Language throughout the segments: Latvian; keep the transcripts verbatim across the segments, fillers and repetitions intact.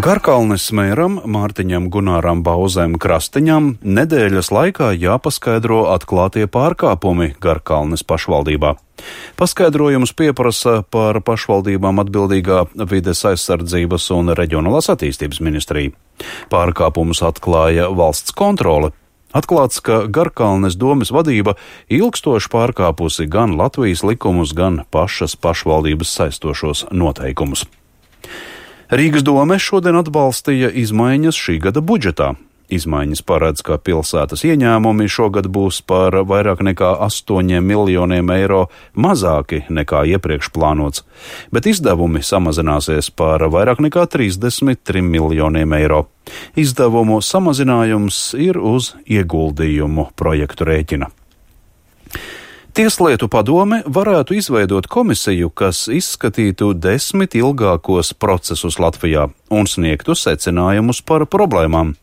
Garkalnes mēram Mārtiņam Gunāram Bauzēm Krastiņam nedēļas laikā jāpaskaidro atklātie pārkāpumi Garkalnes pašvaldībā. Paskaidrojumus pieprasa par pašvaldībām atbildīgā vides aizsardzības un reģionālās attīstības ministrija. Pārkāpumus atklāja valsts kontrole. Atklāts, ka Garkalnes domes vadība ilgstoši pārkāpusi gan Latvijas likumus, gan pašas pašvaldības saistošos noteikumus. Rīgas dome šodien atbalstīja izmaiņas šī gada budžetā. Izmaiņas paredz, ka pilsētas ieņēmumi šogad būs par vairāk nekā astoņiem miljoniem eiro mazāki nekā iepriekš plānots, bet izdevumi samazināsies par vairāk nekā trīsdesmit trim miljoniem eiro. Izdevumu samazinājums ir uz ieguldījumu projektu rēķina. Tieslietu padome varētu izveidot komisiju, kas izskatītu desmit ilgākos procesus Latvijā un sniegtu secinājumus par problēmām.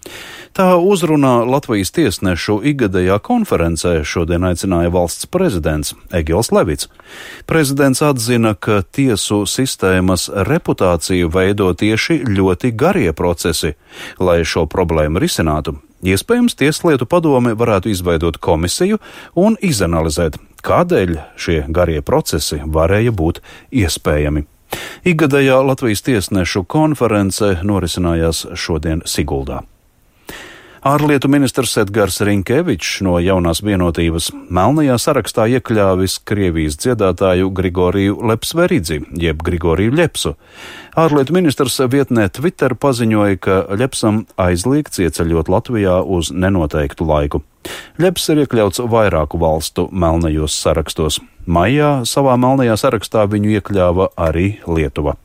Tā uzrunā Latvijas tiesnešu ikgadējā konferencē šodien aicināja valsts prezidents Egils Levits. Prezidents atzina, ka tiesu sistēmas reputāciju veido tieši ļoti garie procesi, lai šo problēmu risinātu. Iespējams, Tieslietu padome varētu izveidot komisiju un izanalizēt, kādēļ šie garie procesi varēja būt iespējami. Ikgadējā Latvijas tiesnešu konference norisinājās šodien Siguldā. Ārlietu ministrs Edgars Rinkevičs no Jaunās vienotības melnajā sarakstā iekļāvis Krievijas dziedātāju Grigoriju Lepsveridzi, jeb Grigoriju Ļepsu. Ārlietu ministrs vietnē Twitter paziņoja, ka Ļepsam aizliegts ieceļot Latvijā uz nenoteiktu laiku. Ļeps ir iekļauts vairāku valstu melnajos sarakstos. Maijā savā melnajā sarakstā viņu iekļāva arī Lietuva.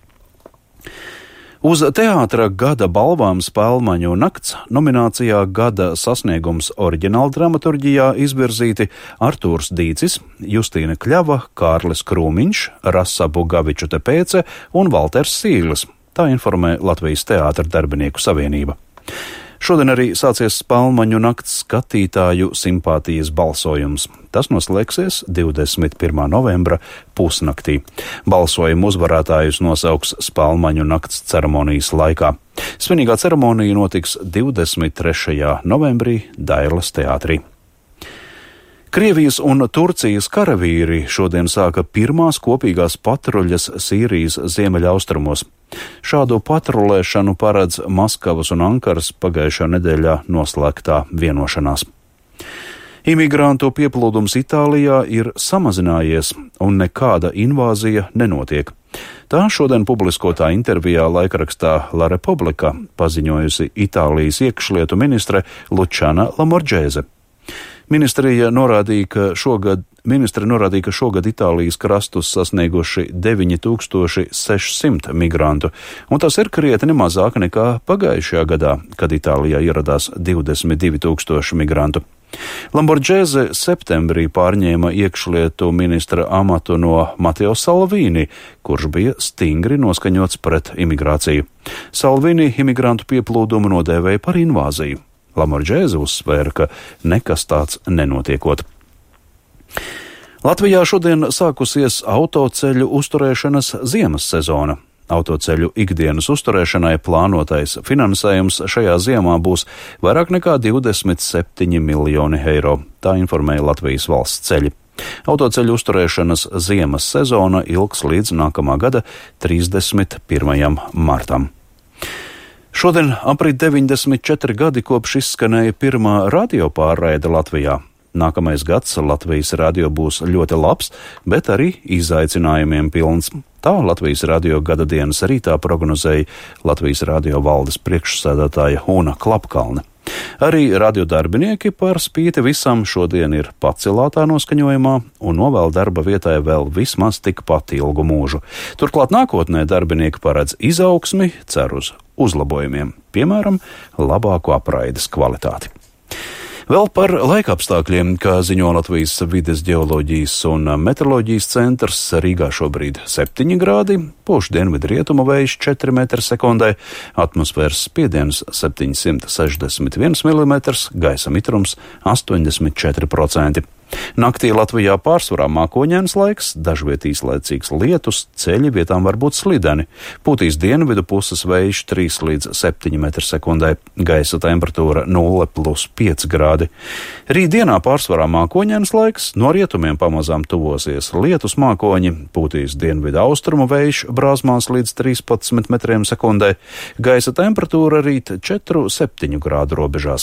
Uz teātra gada balvām Spēlmaņu nakts nominācijā Gada sasniegums oriģināla dramaturģijā izvirzīti Artūrs Dīcis, Justīna Kļava, Kārlis Krūmiņš, Rasa Bugaviču Tepēce un Valters Sīglis. Tā informē Latvijas teātra darbinieku savienība. Šodien arī sācies Spēlmaņu nakts skatītāju simpātijas balsojums. Tas noslēgsies divdesmit pirmā novembra pusnaktī. Balsojumu uzvarētājus nosauks Spēlmaņu nakts ceremonijas laikā. Svinīgā ceremonija notiks divdesmit trešajā novembrī Dairlas teātrī. Krievijas un Turcijas karavīri šodien sāka pirmās kopīgās patruļas Sīrijas ziemeļaustrumos. Šādu patrulēšanu paredz Maskavas un Ankaras pagājušā nedēļā noslēgtā vienošanās. Imigrantu pieplūdums Itālijā ir samazinājies un nekāda invāzija nenotiek. Tā šodien publiskotā intervijā laikrakstā La Repubblica paziņojusi Itālijas iekšlietu ministre Lučana Lamorģēze. Ministrija norādīja, ka šogad, ministri norādīja, ka šogad Itālijas krastus sasnieguši deviņi tūkstoši seši simti migrantu, un tas ir krietni mazāk nekā pagājušajā gadā, kad Itālijā ieradās divdesmit divi tūkstoši migrantu. Lamorģēze septembrī pārņēma iekšlietu ministra amatu no Mateo Salvini, kurš bija stingri noskaņots pret imigrāciju. Salvini imigrantu pieplūdumu nodēvēja par invāziju. Lamorģēze uzsvēra, ka nekas tāds nenotiekot. Latvijā šodien sākusies autoceļu uzturēšanas ziemas sezona. Autoceļu ikdienas uzturēšanai plānotais finansējums šajā ziemā būs vairāk nekā divdesmit septiņi miljoni eiro, tā informēja Latvijas valsts ceļi. Autoceļu uzturēšanas ziemas sezona ilgs līdz nākamā gada trīsdesmit pirmajam martam. Šodien aprit deviņdesmit četri gadi kopš izskanēja pirmā radiopārraide Latvijā. Nākamais gads Latvijas radio būs ļoti labs, bet arī izaicinājumiem pilns. Tā Latvijas radio gada dienas rītā prognozēja Latvijas radio valdes priekšsēdētāja Una Klapkalne. Arī radiodarbinieki par spīti visam šodien ir pacelātā noskaņojumā un novēl darba vietai vēl vismaz tikpat ilgu mūžu. Turklāt nākotnē darbinieki paredz izaugsmi, cer uz uzlabojumiem, piemēram, labāku apraides kvalitāti. Vēl par laikapstākļiem, kā ziņo Latvijas vides ģeoloģijas un meteoroloģijas centrs, Rīgā šobrīd septiņi grādi, pūš dienvidu rietumu vējš četri metri sekundē, atmosfēras spiediens septiņsimt sešdesmit viens milimetrs, gaisa mitrums astoņdesmit četri procenti. Naktī Latvijā pārsvarā mākoņains laiks, dažviet īslaicīgs lietus, ceļi vietām var būt slideni. Pūtīs dienvidu puses vējš trīs līdz septiņi metri sekundē, gaisa temperatūra nulle plus pieci grādi. Rītdienā pārsvarā mākoņains laiks, no rietumiem pamazām tuvosies lietus mākoņi, pūtīs dienvidu austrumu vējš brāzmās līdz trīspadsmit metriem sekundē, gaisa temperatūra rīt četru septiņu grādu robežās.